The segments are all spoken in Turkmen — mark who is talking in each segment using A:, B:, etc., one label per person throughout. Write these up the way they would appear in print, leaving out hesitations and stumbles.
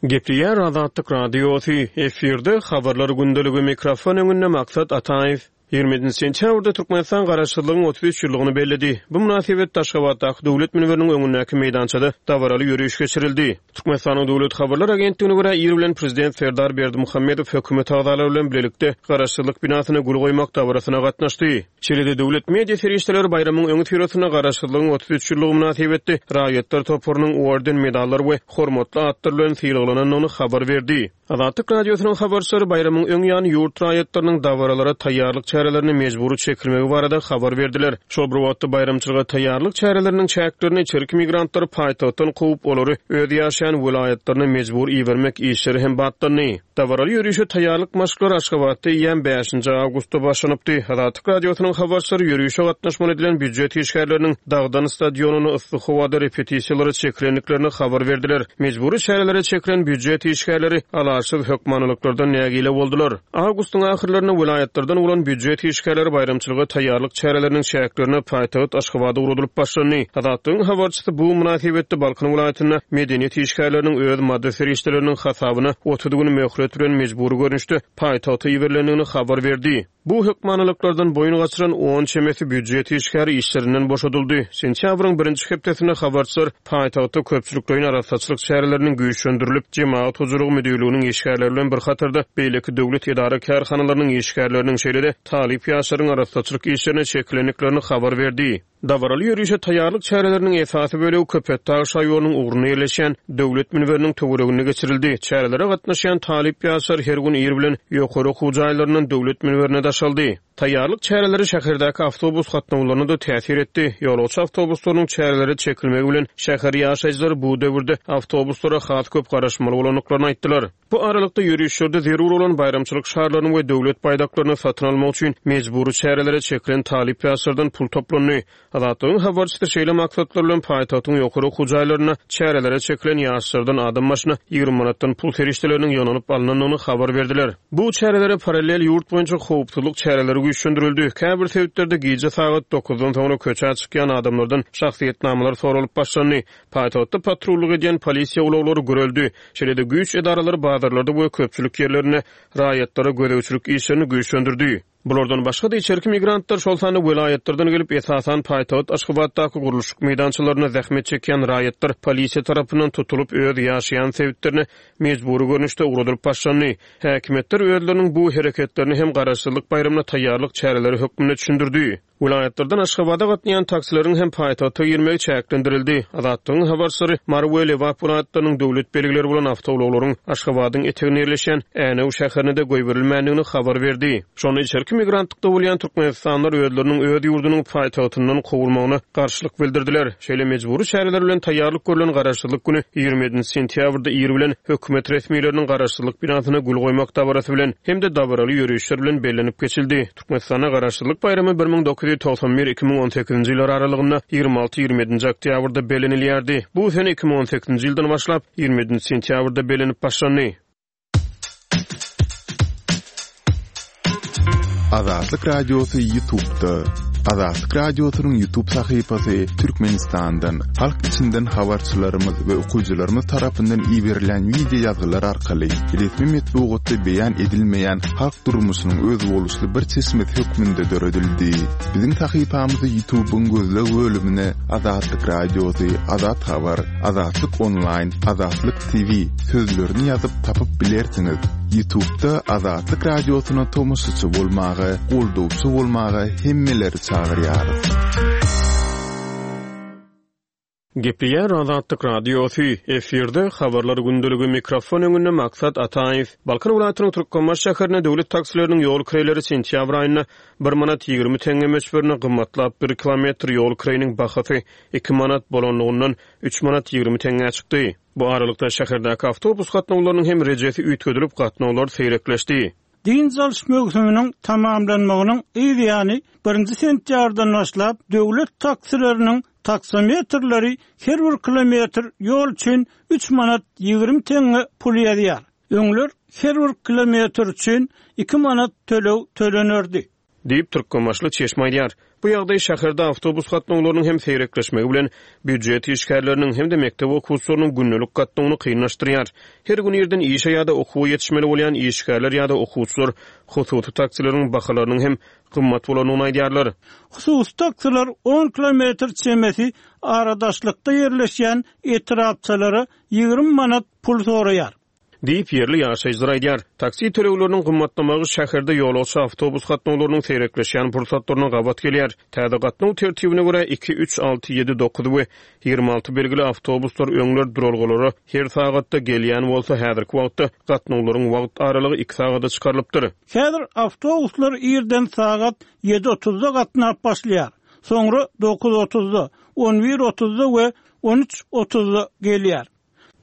A: Gepleýär Azatlyk Radiosy, efirde Habarlar gündeligi, mikrofon öňünde Maksat Ataýew. 27 sentýabrda Türkmenistan Garaşsyzlygyň 33 ýyllygyny belledi. Bu mynasybetde Aşgabatdaky Döwlet münberiniň öňündäki meýdançada dabaraly ýöriş geçirildi. Türkmenistanyň Döwlet habarlar agentligine görä, ir bilen Prezident Serdar Berdimuhamedow hökümet agzalary bilen bilelikde Garaşsyzlyk binasyna gül goýmak dabarasyna gatnaşdy. Şeýle-de döwlet media serişdeleri baýramyň öňüsyrasynda Garaşsyzlygyň 33 ýyllygy mynasybetli raýatlar toparynyň orden, medallar we hormatly atlar bilen sylaglanandygyny habar berdi. Azatlyk Radiosynyň habarçylary baýramyň öň ýany ýurt raýatlarynyň dabaralara taýýarlyk çärelerine mejbury çekilmegi barada habar berdiler. Şol bir wagtda, baýramçylyga taýýarlyk çäreleriniň çäklerinde içerki migrantlary paýtagtdan kowup, olary öz ýaşaýan welaýatlaryna mejbur ibermek işleri hem batlandy. Dabaraly ýörişe taýýarlyk maşklary Aşgabatda eýýäm bäşinji awgustda başlanypdy. Azatlyk Radiosynyň habarçylary ýörişe gatnaşmaly edilen býujet işgärleriniň Dagdan stadionynda yssy howada repetisiýalara çekilendiklerini habar berdiler. Mejbury çärelere çekilen býujet işgärleri alaçsyz hökmanylyklardan nägile boldular. Awgustyň ahyrlarynda welaýatlardan bolan býujet işgärleri baýramçylyga taýýarlyk çäreleriniň çäklerinde paýtagt Aşgabada ugradylyp başlandy. Azatlygyň habarçysy bu mynasybetde Balkan welaýatynda medeniýet işgärleriniň öz maddy serişdeleriniň hasabyna 30 gün möhlet bilen mejbury görnüşde paýtagta iberilendigini habar berdi. Bu hökmanylyklardan boýun gaçyran on çemesi býujet işgäri işlerinden boşadyldy. Sentýabryň birinji hepdesinde habarçylar paýtagtda köpçülikleýin arassaçylyk çäreleriniň güýçlendirilip, Jemagat hojalygy müdirliginiň işgärleri bilen bir hatarda beýleki döwlet edara-kärhanalarynyň işgärleriniň, şeýle-de talyp ýaşlaryň arassaçylyk işlerine çekilendiklerini habar berdi. Dabaraly ýörişe taýýarlyk çäreleriniň esasy bölegi Köpetdag şaýolunyň ugrunda ýerleşýän Döwlet münberiniň töwereginde geçirildi. Çärelere gatnaşýan talyp ýaşlar her gün ir bilen ýokary okuw jaýlaryndan Döwlet münberine daşaldy. Taýýarlyk çäreleri şäherdäki awtobus gatnawlaryna-da täsir etdi. Ýolagçy awtobuslarynyň çärelere çekilmegi bilen şäher ýaşaýjylary bu döwürde awtobuslara has köp garaşmaly bolandyklaryny aýtdylar. Bu aralykda, ýörişlerde zerur bolan baýramçylyk şarlaryny we döwlet baýdaklaryny satyn almak üçin mejbury çärelere çekilen talyp ýaşlardan pul toplandy. Azatlygyň habarçysy şeýle maksatlar bilen paýtagtyň ýokary okuw jaýlarynda çärelere çekilen ýaşlardan adam başyna 20 manatdan pul serişdeleriniň ýygnalyp alnandygyny habar berdiler. Bu çärelere parallel ýurt boýunça howpsuzlyk çäreleri güýçlendirildi. Käbir sebitlerde gije sagat dokuzdan soňra köçä çykýan adamlardan şahsyýetnamalar soralyp başlandy. Paýtagtda patrullyk edýän polisiýa ulaglary güreldi. Şeýle-de güýç edaralary bazarlarda we köpçülik ýerlerinde raýatlara gözegçilik işlerini güýçlendirdi. Bulardan başga-da içerki migrantlar, şol sanda welaýatlardan gelip, esasan paýtagt Aşgabatdaky gurluşyk meýdançalarynda zähmet çekýän raýatlar polisiýa tarapyndan tutulyp, öz ýaşaýan sebitlerine mejbury görnüşde ugradylyp başlandy. Häkimiýetler özleriniň bu hereketlerini hem Garaşsyzlyk baýramyna taýýarlyk çäreleri hökmünde düşündirdi. Welaýatlardan Aşgabada gatnaýan taksileriň hem paýtagta girmegi çäklendirildi. Azatlygyň habarçylary Mary we Lebap welaýatlarynyň döwlet belgileri bolan awtoulaglaryň Aşgabadyň eteginde ýerleşýän Änew şäherine-de goýberilmändigini habar berdi. Şonda içerki migrantlykda bolýan türkmenistanlylar özleriniň öz ýurdunyň paýtagtyndan kowulmagyna garşylyk bildirdiler. Şeýle mejbury çäreler bilen taýýarlyk görlen Garaşsyzlyk güni 27 sentýabrda ir bilen hökümet resmileriniň Garaşsyzlyk binasyna gül goýmak dabarasy bilen hem-de dabaraly ýörişler bilen bellenip geçildi. Türkmenistanda Garaşsyzlyk baýramy 1991, 2018-nji ýyllar aralygynda 26, 27-nji oktýabrda bellenilýärdi. Bu sene 2018-nji ýyldan başlap, 27-nji sentýabrda bellenip başlandy.
B: Azatlyk Radiosy YouTube'da. Azatlyk Radiosynyň YouTube sahypasy Türkmenistandan, halk içinden habarçylarymyz we okyjylarymyz tarapyndan iberilen wideo ýazgylar arkaly resmi metbugatda beýan edilmeýän halk durmuşynyň özboluşly bir çeşmesi hökmünde döredildi. Biziň sahypamyzy YouTube-yň gözleg bölümine Azatlyk Radiosy, Azat Habar, Azatlyk Onlaýn, Azatlyk TV sözlerini ýazyp tapyp bilersiňiz. YouTube-da Azatlyk Radiosyna tomaşaçy bolmaga, goldawçy bolmaga hemmeleri çagyrýarys.
A: Gepleýär Azatlyk Radiosy, efirde Habarlar gündeligi, mikrofon öňünde Maksat Ataýew. Balkan welaýatynyň Türkmenbaşy şäherinde döwlet taksileriniň ýol kireýleri sentýabr aýynda bir manat 20 teňňe möçberinde gymmatlap, bir kilometr ýol kireýiniň bahasy iki manat bolanlygyndan üç manat 20 teňňä çykdy. Bu aralykda, şäherdäki awtobus gatnawlarynyň hem rejesi üýtgedilip, gatnawlar seýrekleşdi.
C: Dynç alyş möwsüminiň tamamlanmagynyň yz ýany, birinji sentýabrdan başlap, döwlet taksileriniň taksometrleri her bir kilometr ýol üçin üç manat 20 teňňe pul ýazýar. Öňler her bir kilometr üçin iki manat töleg tölenerdi.
A: Diýip, türkmenbaşyly çeşme aýdýar. Bu ýagdaý şäherde awtobus gatnawlarynyň hem seýrekleşmegi bilen, býujet işgärleriniň hem-de mekdep okuwçylarynyň gündelik gatnawyny kynlaşdyrýar. Her gün irden işe ýa-da okuwa ýetişmeli bolýan işgärler ýa-da okuwçylar hususy taksileriň bahalarynyň hem gymmat bolandygyny aýdýarlar.
C: Hususy taksiler on kilometr çemesi aradaşlykda ýerleşýän etrapçalara 20 manat pul soraýar.
A: Diýip, ýerli ýaşaýjylar aýdýar. Taksi tölegleriniň gymmatlamagy şäherde ýolagçy awtobus gatnawlarynyň seýrekleşýän pursatlaryna gabat gelýär. Täze gatnaw tertibine görä, iki, üç, alty, ýedi, dokuz we 26 belgili awtobuslar öňler duralgalara her sagatda gelýän bolsa, häzirki wagtda gatnawlaryň wagt aralygy iki sagada çykarylypdyr.
C: Häzir awtobuslar irden sagat ýedi otuzda gatnap başlaýar, soňra dokuz otuzda, on bir otuzda we on üç otuzda gelýär.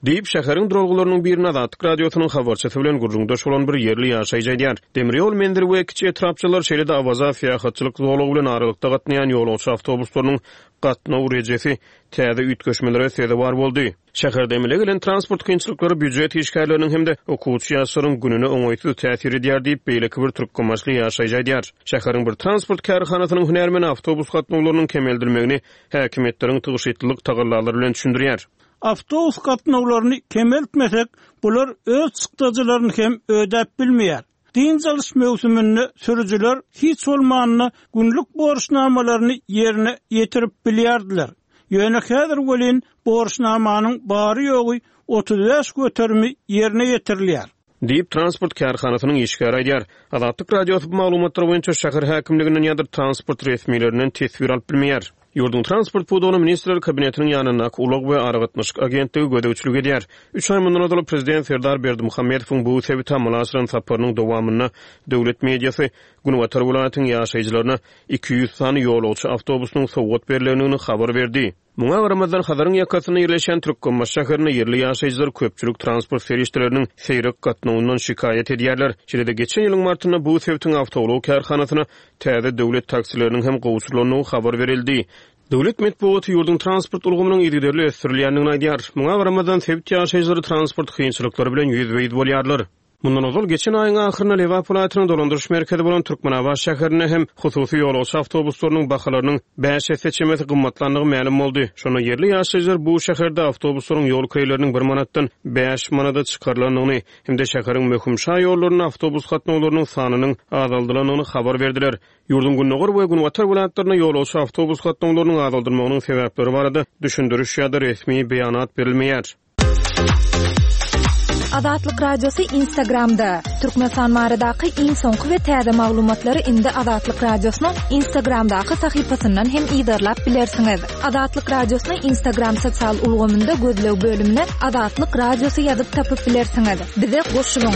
A: Diýip, şäheriň duralgalarynyň birinde Azatlyk Radiosynyň habarçysy bilen gürrüňdeş bolan bir ýerli ýaşaýjy aýdýar. Demir ýol menzili we kiçi etrapçalar, şeýle-de Awaza syýahatçylyk zolagy bilen aralykda gatnaýan ýolagçy awtobuslarynyň gatnaw rejesi täze üýtgeşmelere sezewar boldy. Şäherde emele gelen transport kynçylyklary býujet işgärleriniň hem-de okuwçy ýaşlaryň gününe oňaýsyz täsir edýär diýip, beýleki bir türkmenbaşyly ýaşaýjy aýdýar. Şäheriň bir transport kärhanasynyň hünärmeni awtobus gatnawlarynyň kemeldilmegini häkimiýetleriň tygşytlylyk tagallalary bilen düşündirýär.
C: Awtobus gatnawlaryny kemeltmesek, bular öz çykdajylaryny hem ödäp bilmeýär. Dynç alyş möwsüminde sürüjiler hiç bolmanda günlük borçnamalaryny ýerine ýetirip bilýärdiler. Ýöne häzir welin borçnamanyň bary-ýogy 35 göterimi ýerine ýetirilýär.
A: Diýip, transport kärhanasynyň işgäri aýdýar. Azatlyk Radiosy bu maglumatlar boýunça şäher häkimliginden ýa-da transport resmilerinden teswir alyp bilmeýär. Ýurduň transport pudagyna Ministrler Kabinetiniň ýanyndaky Ulag we aragatnaşyk agentligi gözegçilik edýär. Üç aý mundan ozal prezident Serdar Berdimuhamedowyň bu sebite amala aşyran saparynyň dowamynda döwlet mediasy günbatar welaýatyň ýaşaýjylaryna 200 sany ýolagçy awtobusynyň sowgat berlendigini habar berdi. Muňa garamazdan, Hazaryň ýakasynda ýerleşýän Türkmenbaşy şäherinde ýerli ýaşaýjylar köpçülik transport serişdeleriniň seýrek gatnawyndan şikaýat edýärler. Şeýle-de, geçen ýylyň martynda bu sebitiň awtoulag kärhanasyna täze döwlet taksileriniň hem gowşurylandygy habar berildi. Döwlet metbugaty ýurduň transport ulgamynyň yzygiderli ösdürilýändigini aýdýar. Muňa garamazdan, sebit ýaşaýjylary transport kynçylyklary bilen ýüzbe-ýüz bolýarlar. Mundan ozal, geçen aýyň ahyrynda Lebap welaýatynyň dolandyryş merkezi bolan Türkmenabat şäherinde hem hususy ýolagçy awtobuslarynyň bahalarynyň bäş esse çemesi gymmatlandygy mälim boldy. Şonda ýerli ýaşaýjylar bu şäherde awtobuslaryň ýol kireýleriniň bir manatdan bäş manada çykarylandygyny hem-de şäheriň möhüm şaýollarynda awtobus gatnawlarynyň sanynyň azaldylandygyny habar berdiler. Ýurduň gündogar we günbatar welaýatlarynda ýolagçy awtobus gatnawlarynyň azaldylmagynyň sebäpleri barada düşündiriş ýa-da resmi beýanat berilmeýär.
D: Azatlyk Radiosy Instagramda, Türkmenistan baradaky iň soňky we täze maglumatlary indi Azatlyk Radiosynyň Instagramdaky sahypasyndan hem yzarlap bilersiňiz. Azatlyk Radiosyny Instagram sosial ulgamynda gözleg bölümine Azatlyk Radiosy ýazyp tapyp bilersiňiz. Bize goşulyň!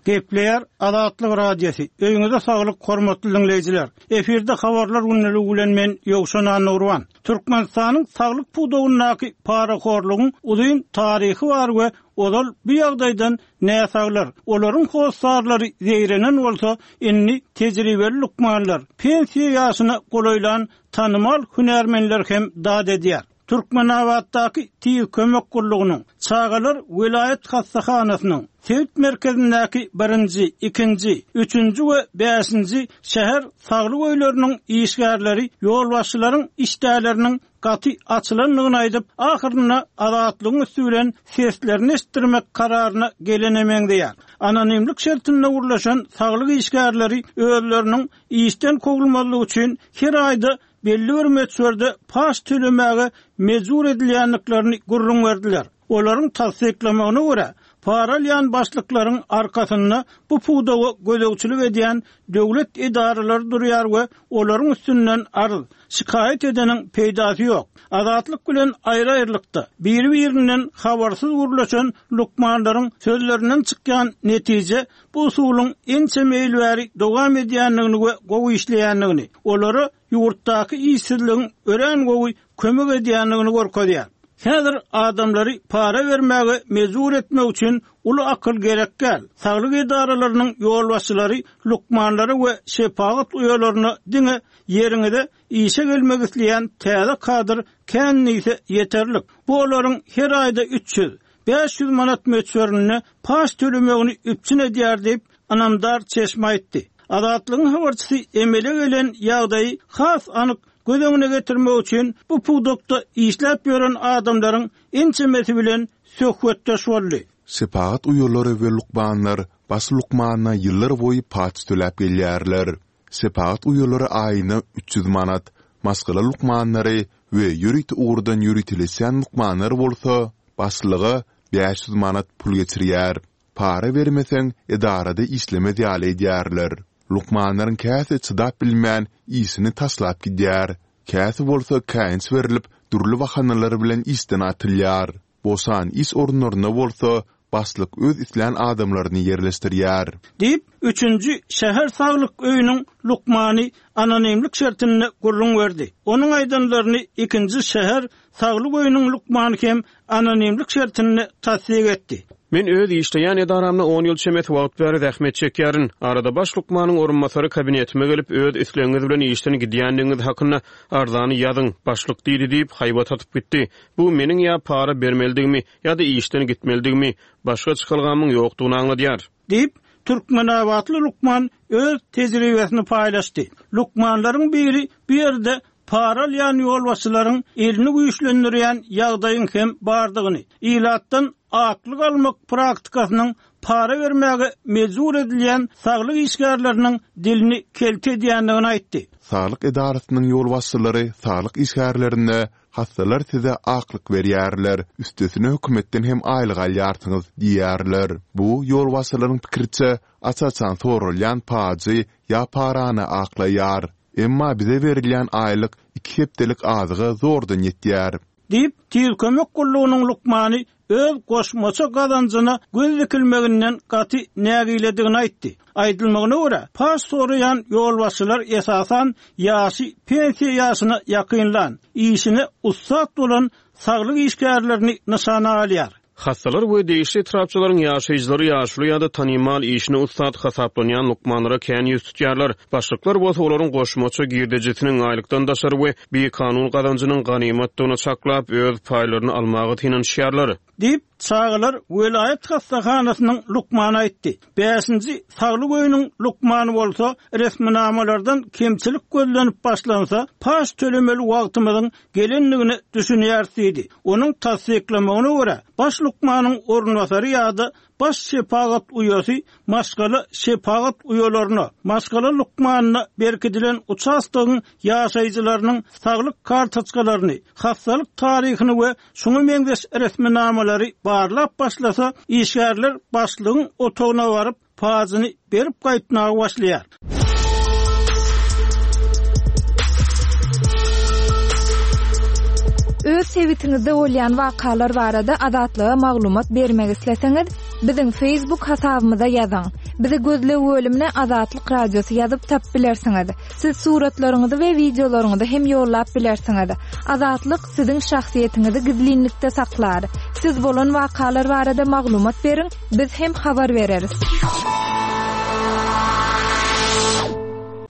C: Gepleýär Azatlyk Radiosy, Öýüňize saglyk hormatly diňleýjiler! Efirde habarlar gündeligi bilen men Ýowşan Annagurban. Türkmenistanyň saglyk pudagyndaky parahorlugyň uzyn taryhy bar we ozal bu ýagdaýdan näsaglar, olaryň hossarlary zeýrenen bolsa, indi tejribeli lukmanlar, pensiýa ýaşyna golaýlan tanymal hünärmenler hem dat edýär. Türkmenabatdaky Tiz kömek gullugynyň, Çagalar welaýat hassahanasynyň, sebit merkezindäki birinji, ikinji, üçünji we bäşinji şäher saglyk öýleriniň işgärleri ýolbaşçylaryň işdäleriniň gaty açylandygyny aýdyp, ahyrynda Azatlygyň üsti bilen seslerini eşitdirmek kararyna gelene meňzeýär. Anonimlik şertinde gürleşen saglyk işgärleri özleriniň işden kowulmazlygy üçin her aýda belli bir möçberde paç tölemäge mejbur edilýändiklerini gürrüň berdiler. Olaryň tassyklamagyna görä, para alýan başlyklaryň arkasynda bu pudaga gözegçilik edýän döwlet edaralary durýar we olaryň üstünden arz, şikaýat edeniň peýdasy ýok. Azatlyk bilen aýry-aýrylykda, biri-birinden habarsyz gürleşen lukmanlaryň sözlerinden çykýan netije bu usulyň ençeme ýyl bäri dowam edýändigini we gowy işleýändigini, olara ýurtdaky işsizligiň örän gowy kömek edýändigini görkezýär. Häzir adamlary para bermäge mejbur etmek üçin uly akyl gerek däl. Saglyk edaralarynyň ýolbaşçylary lukmanlara we şepagat uýalaryna diňe ýeriňize işe gelmek isleýän täze kadr kän diýse ýeterlik. Bu olaryň her aýda 300, 500 manat möçberinde paç tölemegini üpjün edýär diýip, ynamdar çeşme aýtdy. Azatlygyň habarçysy emele gelen ýagdaýy has anyk göz öňüne getirmek üçin bu pudakda işläp ýören adamlaryň ençemesi bilen söhbetdeş boldy.
B: Şepagat uýalary we lukmanlar baş lukmana ýyllar boýy paç töläp gelýärler. Şepagat uýalary aýyna 300 manat, maşgala lukmanlary we ýörite ugurdan ýöriteleşýän lukmanlar bolsa başlyga 500 manat pul geçirýär. Para bermeseň, edarada işlemez ýaly edýärler. Lukmanlaryň käsi çydap bilmän, işini taşlap gidýär. Käsi bolsa käýinç berlip, dürli bahanalar bilen işden atylýar. Boşan iş orunlaryna bolsa, başlyk öz islän adamlaryny ýerleşdirýär.
C: Diýip, üçünji şäher saglyk öýüniň lukmany anonimlik şertinde gürrüň berdi. Onuň aýdanlaryny ikinji şäher Saglyk öýüniň lukmany hem anonimlik şertinde tassyk etdi.
A: Men öz işleýän edaramda on ýyl çemesi wagt bäri zähmet çekýärin. Arada baş lukmanyň orunbasary kabinetime gelip, öz islegiňiz bilen işden gidýändigiňiz hakynda arzany ýazyň, başlyk diýdi diýip, haýbat atyp gitdi. Bu meniň ýa para bermelidigimi, ýa-da işden gitmelidigimi, başga çykalgamyň ýokdugyny aňladýar.
C: Diýip, türkmenabatly lukman öz tejribesini paýlaşdy. Lukmanlaryň biri bu ýerde para alýan ýolbaşçylaryň elini güýçlendirýän ýagdaýyň hem bardygyny, ilatdan aklyk almak praktikasynyň para bermäge mejbur edilýän saglyk işgärleriniň dilini kelte edýändigini aýtdy.
B: Saglyk edarasynyň ýolbaşçylary saglyk işgärlerine Hassalar size aklyk berýärler, üstesine hökümetden hem aýlyk alýarsyňyz diýýärler. Bu, ýolbaşçylaryň pikiriçe, aç-açan soralýan pajy ýa parany aklaýar. Emma bize berilýän aýlyk iki hepdelik azyga zordan ýetýär.
C: Diýip, Tiz kömek gullugynyň lukmany öz goşmaça gazanjyna göz dikilmeginden gaty nägiledigini aýtdy. Aýdylmagyna görä, paç soraýan ýolbaşçylar esasan ýaşy pensiýa ýaşyna ýakynlan, işine ussat bolan saglyk işgärlerini nyşana alýar.
A: Hassalar we degişli etrapçalaryň ýaşaýjylary ýaşuly ýa-da tanymal, işine ussat hasaplanýan lukmanlara kän ýüz tutýarlar. Başlyklar bolsa olaryň goşmaça girdejisiniň, aýlykdan daşary we bikanun gazanjynyň ganymatdygyny çaklap, öz paýlaryny almaga synanyşýarlar.
C: Diýip, çagalar welaýat hassahanasynyň lukmany aýtdy. Bäşinji saglyk öýüniň lukmany bolsa, resminamalardan kemçilik gözlenip başlansa, paç tölemeli wagtymyzyň gelendigine düşünýäris diýdi. Onuň tassyklamagyna görä, baş lukmanyň orunbasary ýa-da baş şepagat uýasy maşgala şepagat uýalaryna, maşgala lukmanyna berkidilen uçastogyň ýaşaýjylarynyň saglyk kartoçkalaryny, hassalyk taryhyny we şuňa meňzeş resminamalary barlap başlasa, işgärler başlygyň otagyna baryp, pajyny berip gaýtmaga başlaýar.
D: Öz sebitiňizde bolýan wakalar barada Azatlyga maglumat bermek isleseňiz, biziň Facebook hasabymyza ýazyň. Bizi gözleg bölümine Azatlyk Radiosy ýazyp tapyp bilersiňiz. Siz suratlaryňyzy we wideolaryňyzy hem ýollap bilersiňiz. Azatlyk siziň şahsyýetiňizi gizlinlikde saklar. Siz bolan wakalar barada maglumat beriň, biz hem habar bereris.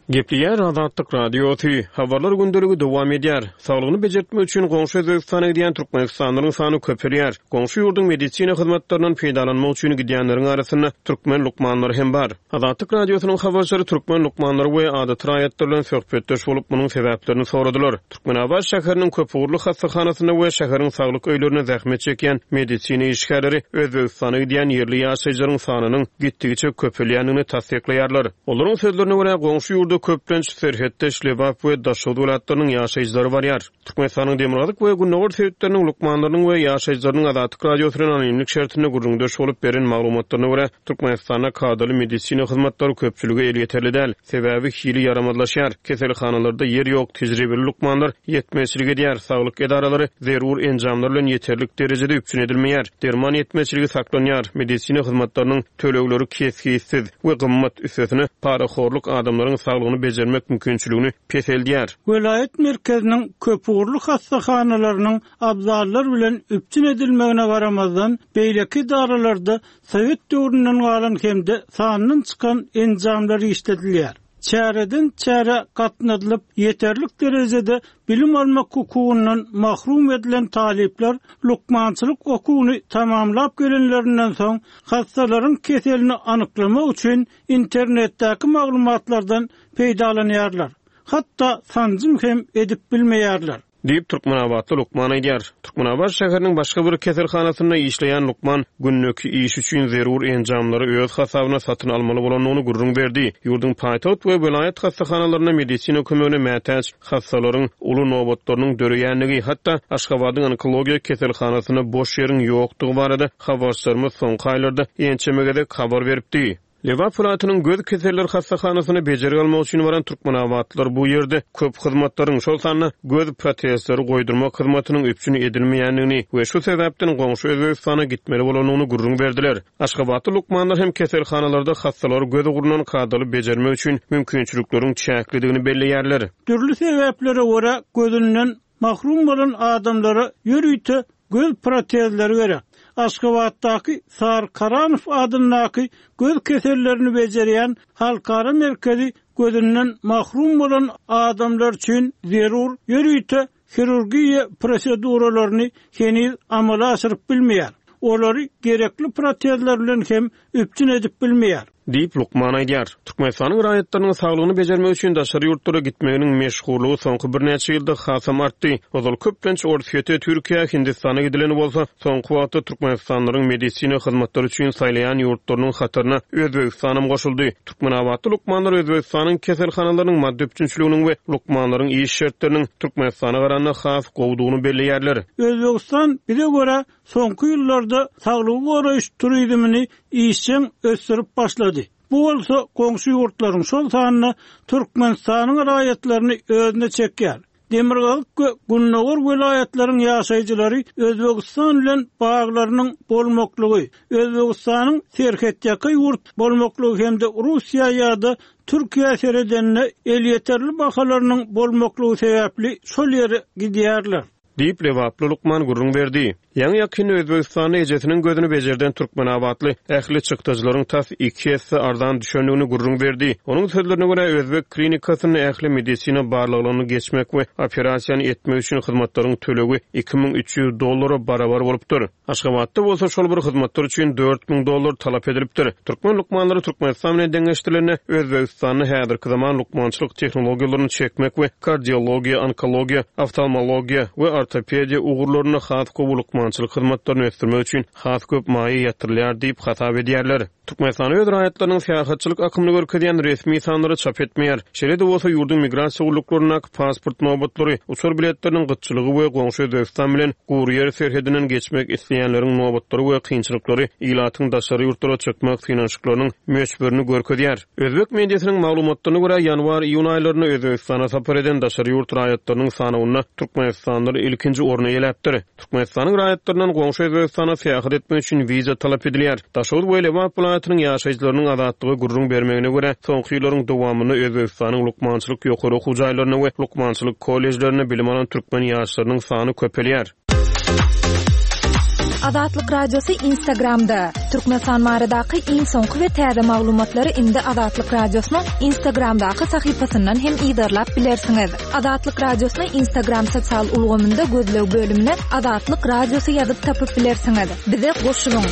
A: Gepleýär Azatlyk Radiosy, Habarlar gündeligi dowam edýär. Saglygyny bejertmek üçin goňşy Özbegistana gidýän türkmenistanlylaryň sany köpelýär. Goňşy ýurduň medisina hyzmatlaryndan peýdalanmak üçin gidýänleriň arasynda türkmen lukmanlary hem bar. Azatlyk Radiosynyň habarçylary türkmen lukmanlary we adaty raýatlar bilen söhbetdeş bolup, munuň sebäplerini soradylar. Türkmenabat şäheriniň köpugurly hassahanasynda we şäheriň saglyk öýlerinde zähmet çekýän medisina işgärleri Özbegistana gidýän ýerli ýaşaýjylaryň sanynyň gitdigiçe köpelýändigini tassyklaýarlar. Olaryň sözlerine görä, goňşy ýurda köplenç serhetdeş Lebap we Daşoguz welaýatlarynyň ýaşaýjylary barýar. Türkmenistanyň demirgazyk we gündogar sebitleriniň lukmanlarynyň we ýaşaýjylarynyň Azatlyk Radiosy bilen anonimlik şertinde gürrüňdeş bolup beren maglumatlaryna görä, Türkmenistanda kadaly medisina hyzmatlary köpçülige elýeterli däl. Sebäbi hili ýaramazlaşýar. Keselhanalarda ýer ýok, tejribeli lukmanlar ýetmezçilik edýär, saglyk edaralary zerur enjamlar bilen ýeterlik derejede üpjün edilmeýär, derman ýetmezçiligi saklanýar, medisina hyzmatlarynyň tölegleri kesgitsiz we gymmat, üstesine, parahorluk adamlaryň saglygyny bejermek mümkinçiligini peseldýär.
C: Welaýat merkeziniň köpugurly hassahanalarynyň abzallar bilen üpjün edilmegine garamazdan, beýleki edaralarda sowet döwründen galan hem-de sandan çykan enjamlar işledilýär. Çäreden çärä gatnadylyp, ýeterlik derejede bilim almak hukugyndan mahrum edilen talyplar lukmançylyk okuwyny tamamlap gelenlerinden soň, hassalaryň keselini anyklamak üçin internetdäki maglumatlardan peýdalanýarlar. Hatda sanjym hem edip bilmeýärler.
A: Diýip, türkmenabatly lukman aýdýar. Türkmenabat şäheriniň başga bir keselhanasynda işleýän lukman gündeki işi üçin zerur enjamlary öz hasabyna satyn almaly bolandygyny gürrüň berdi. Ýurduň paýtagt we welaýat hassahanalarynda medisina kömegine mätäç hassalaryň uly nobatlarynyň döreýändigi, hatda Aşgabadyň onkologiýa keselhanasynda boş ýeriň ýokdugy barada habarçylarymyz soňky aýlarda ençeme gezek habar beripdi. Lebap welaýatynyň göz keselleri hassahanasyna bejergi almak üçin baran türkmenabatlylar bu ýerde köp hyzmatlaryň, şol sanda göz protezleri goýdurmak hyzmatynyň üpjün edilmeýändigini we şu sebäpden goňşy Özbegistana gitmeli bolandygyny gürrüň berdiler. Aşgabatly lukmanlar hem keselhanalarda hassalary göz ugrundan kadaly bejermek üçin mümkinçilikleriň çäklidigini belleýärler.
C: Dürli sebäplere görä gözünden Mahrum bolan adamlara ýörite göz protezleri gerek. Aşgabatdaky Sary Karanow adyndaky göz kesellerini bejerýän halkara merkezi gözünden mahrum bolan adamlar üçin zerur ýörite hirurgiýa proseduralaryny heniz amala aşyryp bilmeýär. Olary gerekli protezler bilen hem üpjün edip bilmeýär.
A: Diýip, lukman aýdýar. Türkmenistanyň raýatlarynyň saglygyny bejermek üçin daşary ýurtlara gitmeginiň meşhurlygy soňky birnäçe ýylda hasam artdy. Ozal köplenç Orsýete, Türkiýä, Hindistana gidileni bolsa, soňky wagtda türkmenistanlylaryň medisina hyzmatlary üçin saýlaýan ýurtlarynyň hataryna Özbegistanam goşuldy. Türkmenabatly lukmanlar Özbegistanyň keselhanalarynyň maddy üpjünçiliginiň we lukmanlaryň iş şertleriniň Türkmenistana garanda has gowudygyny belleýärler.
C: Özbegistan bize görä soňky ýyllarda saglygy goraýyş turizmini işjeň ösdürip başlady. Bu bolsa goňşy ýurtlaryň, şol sanda Türkmenistanyň raýatlaryny özüne çekýär. Demirgazyk we gündogar welaýatlaryň ýaşaýjylary Özbegistan bilen baglarynyň bolmaklygy, Özbegistanyň serhetýaka ýurt bolmaklygy hem-de Russiýa ýa-da Türkiýä seredende elýeterli bahalarynyň bolmaklygy sebäpli şol ýere gidýärler.
A: Diýip, lebaply lukman gürrüň berdi. Ýaňy-ýakynda Özbegistanda ejesiniň gözüni bejerden türkmenabatly ähli çykdajylaryň tas iki esse arzan düşendigini gürrüň berdi. Onuň sözlerine görä, özbek klinikasynda ähli medisina barlaglaryny geçmek we operasiýany etmek üçin hyzmatlaryň tölegi 2300 dollara barabar bolupdyr. Aşgabatda bolsa şol bir hyzmatlar üçin 4000 dollar talap edilipdir. Türkmen lukmanlary Türkmenistan bilen deňeşdirilende, Özbegistanda häzirki zaman lukmançylyk tehnologiýalaryny çekmek we kardiologiýa, onkologiýa, oftalmologiýa we ortopediýa ugurlarynda has gowy lukmançylyk hyzmatlaryny ösdürmek üçin has köp maýa ýatyrylýar diýip hasap edýärler. Türkmenistan öz raýatlarynyň syýahatçylyk akymyny görkezýän resmi sanlary çap etmeýär. Şeýle-de bolsa, ýurduň migrasiýa gulluklaryndaky pasport nobatlary, uçar biletleriniň gytçylygy we goňşy Özbegistan bilen gury ýer serhedinden geçmek isleýänleriň nobatlary we kynçylyklary ilatyň daşary ýurtlara çykmak synanyşyklarynyň möçberini görkezýär. Özbek mediasynyň maglumatlaryna görä, ýanwar-iýun aýlarynda Özbegistana sapar eden daşary ýurt raýatlarynyň sanawynda türkmenistanlylar ilkinji orny eýeläpdir. Türkmenistanyň raýatlaryndan goňşy Özbegistana syýahat etmek üçin wiza talap edilýär. Daşoguz we Lebap welaýatynyň ýaşaýjylarynyň Azatlyga gürrüň bermegine görä, soňky ýyllaryň dowamynda Özbegistanyň lukmançylyk ýokary okuw jaýlarynda we lukmançylyk kollejlerinde bilim alan türkmen ýaşlarynyň sany köpelýär.
D: Azatlyk Radiosy Instagramda, Türkmenistan baradaky iň soňky we täze maglumatlary indi Azatlyk Radiosynyň Instagramdaky sahypasyndan hem yzarlap bilersiňiz. Azatlyk Radiosyny Instagram sosial ulgamynda gözleg bölümine Azatlyk Radiosy ýazyp tapyp bilersiňiz. Bize goşulyň!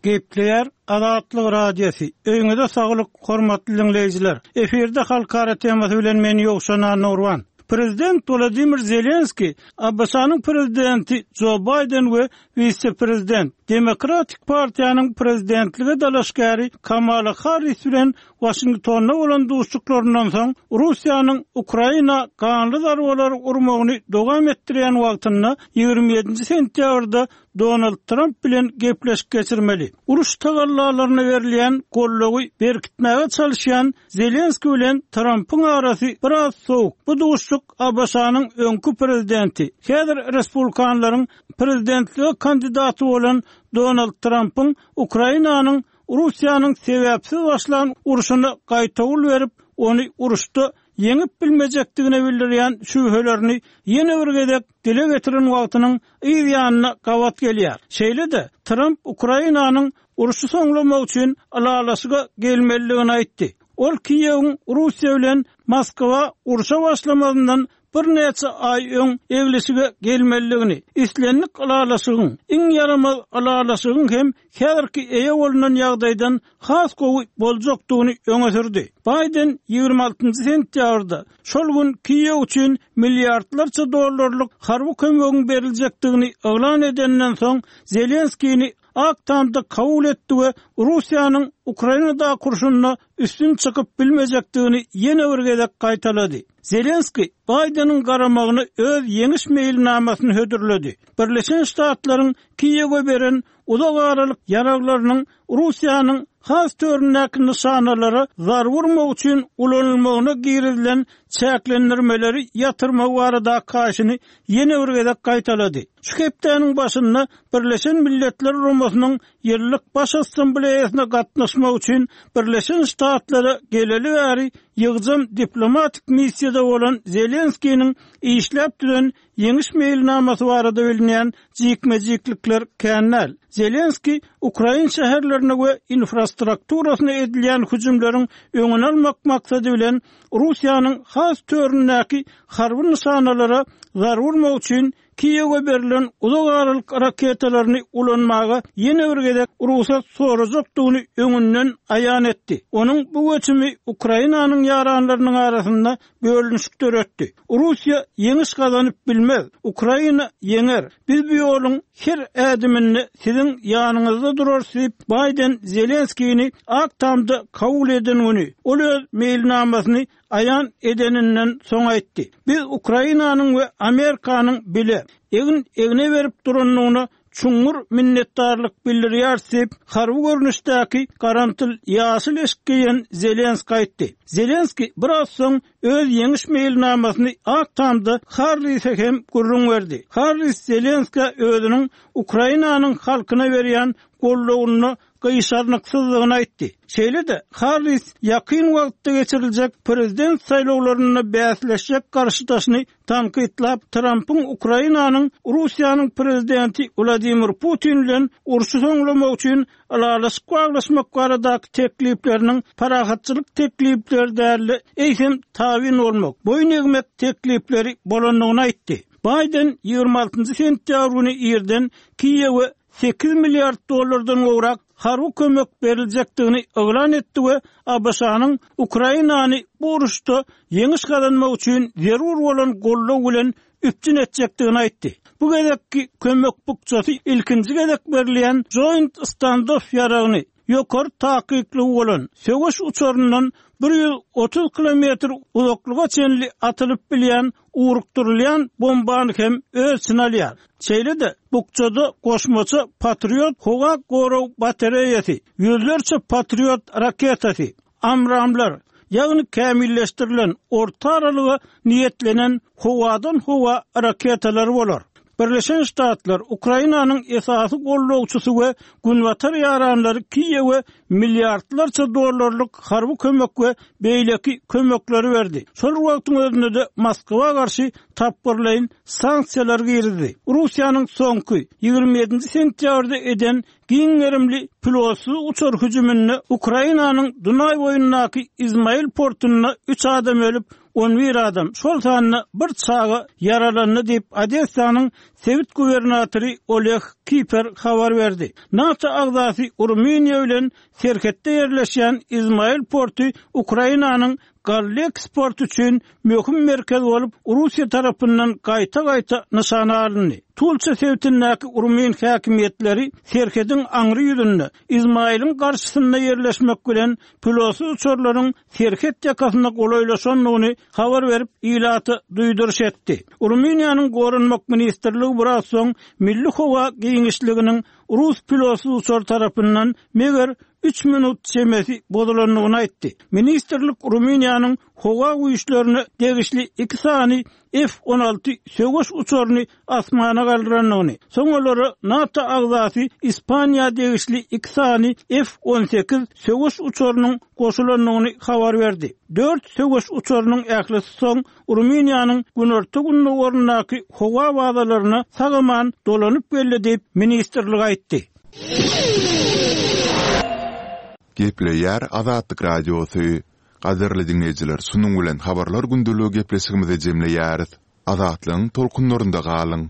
C: Gepleýär Azatlyk Radiosy. Öýüňize saglyk, hormatly diňleýjiler! Efirde halkara temasy bilen men Ýowşan Annagurban. Prezident Wladimir Zelenskiý ABŞ-nyň Prezidenti Jo Baýden we wise-prezident, Demokratik partiýanyň prezidentlige dalaşgäri Kamala Harris bilen Waşingtonda bolan duşuşyklaryndan soň, Russiýanyň Ukraina ganly zarbalary urmagyny dowam etdirýän wagtynda, 27-nji sentýabrda Donald Tramp bilen gepleşik geçirmeli. Uruş tagallalaryna berilýän goldawy berkitmäge çalyşýan Zelenskiý bilen Trampyň arasy biraz sowuk. Bu duşuşyk ABŞ-nyň öňki prezidenti, häzir respublikanlaryň prezidentlige kandidaty bolan Donald Trampyň Ukrainanyň Russiýanyň sebäpsiz başlan urşuna gaýtawul berip, ony uruşda. ýeňip bilmejekdigine bildirýän şübhelerini ýene bir gezek dile getiren wagtynyň yz ýanyna gabat gelýär. Şeýle-de, Tramp Ukrainanyň urşy soňlamak üçin ylalaşyga gelmelidigini aýtdy. Ol Kiýewiň Russiýa bilen Moskwa urşa başlamazyndan birnäçe aý öň eglişige gelmelidigini, islendik ylalaşygyň, iň ýaramaz ylalaşygyň hem häzirki eýe bolnan ýagdaýdan has gowy boljakdygyny öňe sürdi. Baýden 26 sentýabrda, şol gün Kiýew üçin milliardlarça dollarlyk harby kömegiň beriljekdigini yglan edeninden soň, Zelenskini Ak Tamda kabul etdi we Russiýanyň Ukrainadaky urşunda üstün çykyp bilmejekdigini ýene bir gezek gaýtalady. Zelenskiý Baýdeniň garamagyna öz ýeňiş meýilnamasyny hödürledi. Birleşen Ştatlaryň Kiýewe beren uzak aralyk ýaraglarynyň Russiýanyň has töründäki nyşanalara zarba urmak üçin ulanylmagyna girizilen çäklendirmeleri ýatyrmagy baradaky haýyşyny ýene bir gezek gaýtalady. Şu hepdäniň başynda Birleşen Milletler Guramasynyň ýyllyk Baş Assambleýasyna gatnaşmak üçin Birleşen Ştatlara geleli bäri ýygjam diplomatik missiýada bolan Zelenskiniň işläp düzen ýeňiş meýilnamasy barada bilinýän jikme-jiklikler kän däl. Zelenskiý ukrain şäherlerine we infrastrukturasyna edilýän hüjümleriň öňüni almak maksady bilen Russiýanyň has töründäki harby nyşanalara zarba urmak üçin Kiýewe berlen uzak aralyk raketalaryny ulanmaga ýene bir gezek rugsat sorajakdygyny öňünden aýan etdi. Onuň bu göçümi Ukrainanyň ýaranlarynyň arasynda bölünişik döretdi. Russiýa ýeňiş gazanyp bilmez, Ukraina ýeňer. Biz bu ýoluň her ädiminde siziň ýanyňyzda durarys diýip, Baýden Zelenskini Ak Tamda kabul eden güni, ol öz meýilnamasyny aýan edeninden soň aýtdy. Biz Ukrainanyň we Amerikanyň bile, egin-egne berip durandygyna çuňňur minnetdarlyk bildirýäris diýip, harby görnüşdäki garamtyl ýaşyl eşik geýen Zelenski aýtdy. Zelenski biraz soň öz ýeňiş meýilnamasyny Ak Tamda Harrise hem gürrüň berdi. Harris Zelenskä özüniň Ukrainanyň halkyna berýän goldawynda gyşarnyksyzdygyny aýtdy. Şeýle-de, Harris ýakyn wagtda geçiriljek prezident saýlawlarynda bäsleşjek garşydaşyny tankytlap, Trampyň Ukrainanyň Russiýanyň prezidenti Wladimir Putin bilen urşy soňlamak üçin ylalaşyk baglaşmak baradaky teklipleriniň parahatçylyk teklipleri däl-de, eýsem tabyn bolmak, boýun egmek teklipleri bolandygyny aýtdy. Baýden 26 sentýabr güni irden Kiýewe 8 milliard dollardan gowrak harby kömek beriljekdigini yglan etdi we ABŞ-nyň Ukrainany bu uruşda ýeňiş gazanmak üçin zerur bolan goldaw bilen üpjün etjekdigini aýtdy. Bu gezekki kömek bukjasy ilkinji gezek berilýän Joint Standoff ýaragyny, ýokary takyklygy bolan, söweş uçaryndan 130 kilometr uzaklyga çenli atylyp bilýän ugrukdyrylýan bombany hem öz içine alýar. Şeýle-de, bukjada goşmaça Patriot howa gorag batareýasy, ýüzlerçe Patriot raketasy, AMRAAM-lar, ýagny kämilleşdirilen, orta aralyga niýetlenen howadan-howa raketalary bolar. Birleşen Ştatlar Ukrainanyň esasy goldawçysy we Günbatar ýaranlary Kiýewe milliardlarça dollarlyk harby kömek we beýleki kömekleri berdi. Şol bir wagtyň özünde-de Moskwa garşy tapgyrlaýyn sanksiýalar girizdi. Russiýanyň soňky, 27-nji sentýabrda eden giň gerimli pilotsyz uçar hüjüminde Ukrainanyň Dunaý boýundaky Izmail portunda üç adam ölüp, 11 adam, şol sanda bir çaga ýaralandy diýip, Odessanyň sebit gubernatory Oleg Kiper habar berdi. NATO agzasy Rumyniýa bilen serhetde ýerleşýän Izmail porty Ukrainanyň Galleksport üçin möhüm merkez bolup, Russiýa tarapyndan gaýta-gaýta nyşana alyndy. Tulça sebitindäki rumyn häkimiýetleri serhediň aňry ýüzünde, Izmailiň garşysynda ýerleşmek bilen, pilotsyz uçarlaryň serhet ýakasyna golaýlaşandygyny habar berip, ilata duýduryş etdi. Rumyniýanyň Goranmak ministrligi biraz soň milli howa giňişliginiň rus pilotsyz uçary tarapyndan meger üç minut çemesi bozulandygyny aýtdy. Ministrlik Rumyniýanyň. Howa güýçlerine degişli iki sany F-on alty söweş uçaryny asmana galdyrandygyny, soň olara NATO agzasy Ispaniýa degişli iki sany F-on sekiz söweş uçarynyň goşulandygyny habar berdi. Dört söweş uçarynyň ählisi soň Rumyniýanyň günorta-gündogaryndaky howa bazalaryna sag-aman dolanyp geldi diýip, ministrlik aýtdy.
B: Gepleýär Azatlyk Radiosy. Gadyrly diňleýjiler şunuň bilen Habarlar gündeligi gepleşigimizi jemleýäris. Azatlygyň tolkunlarynda galyň!